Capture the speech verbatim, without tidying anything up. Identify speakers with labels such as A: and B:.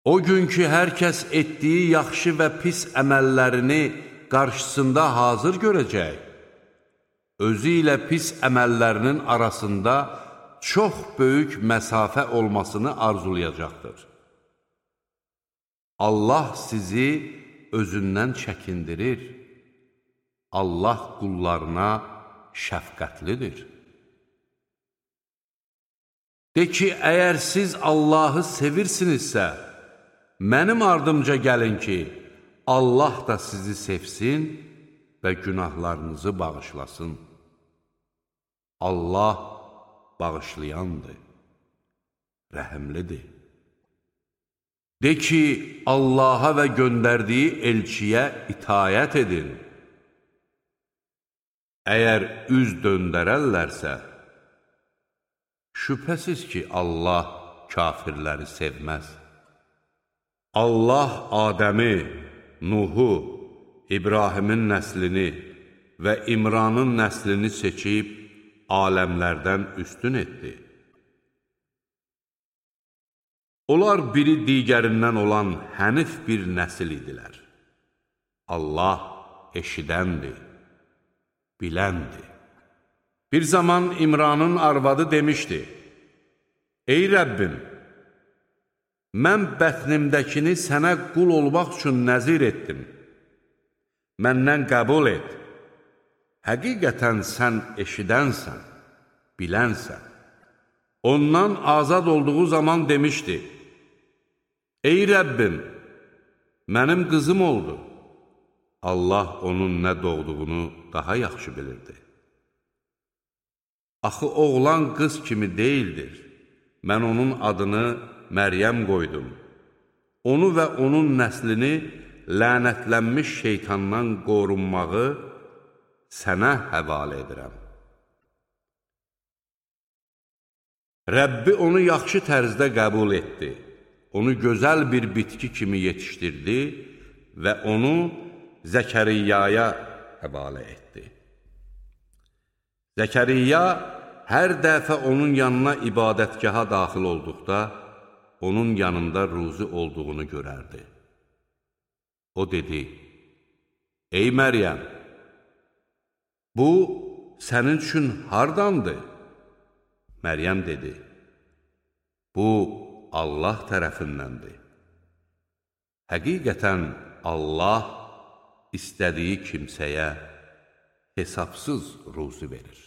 A: O gün ki, hər kəs etdiyi yaxşı və pis əməllərini qarşısında hazır görəcək, özü ilə pis əməllərinin arasında çox böyük məsafə olmasını arzulayacaqdır. Allah sizi özündən çəkindirir. Allah qullarına şəfqətlidir. De ki, əgər siz Allahı sevirsinizsə, mənim ardımca gəlin ki, Allah da sizi sevsin və günahlarınızı bağışlasın. Allah bağışlayandır, rəhimlidir. De ki, Allaha və göndərdiyi elçiyə itayət edin. Əgər üz döndərərlərsə, şübhəsiz ki, Allah kafirləri sevməz. Allah Adəmi, Nuhu, İbrahimin nəslini və İmranın nəslini seçib aləmlərdən üstün etdi. Onlar biri digərindən olan hənif bir nəsil idilər. Allah eşidəndir, biləndir. Bir zaman İmranın arvadı demişdi, Ey Rəbbim, mən bətnimdəkini sənə qul olmaq üçün nəzir etdim. Məndən qəbul et. Həqiqətən sən eşidənsən, bilənsən. Ondan azad olduğu zaman demişdi, Ey Rəbbim, mənim qızım oldu. Allah onun nə doğduğunu daha yaxşı bilirdi. Axı oğlan qız kimi deyildir. Mən onun adını Məryəm qoydum. Onu və onun nəslini lənətlənmiş şeytandan qorunmağı sənə həvalə edirəm. Rəbbi onu yaxşı tərzdə qəbul etdi. Onu gözəl bir bitki kimi yetişdirdi və onu Zəkəriyyaya həvalə etdi. Zəkəriyya hər dəfə onun yanına ibadətgaha daxil olduqda, onun yanında ruzi olduğunu görərdi. O dedi, Ey Məryəm, bu sənin üçün hardandır? Məryəm dedi, bu Allah tərəfindəndir. Həqiqətən Allah istədiyi kimsəyə hesabsız ruzi verir.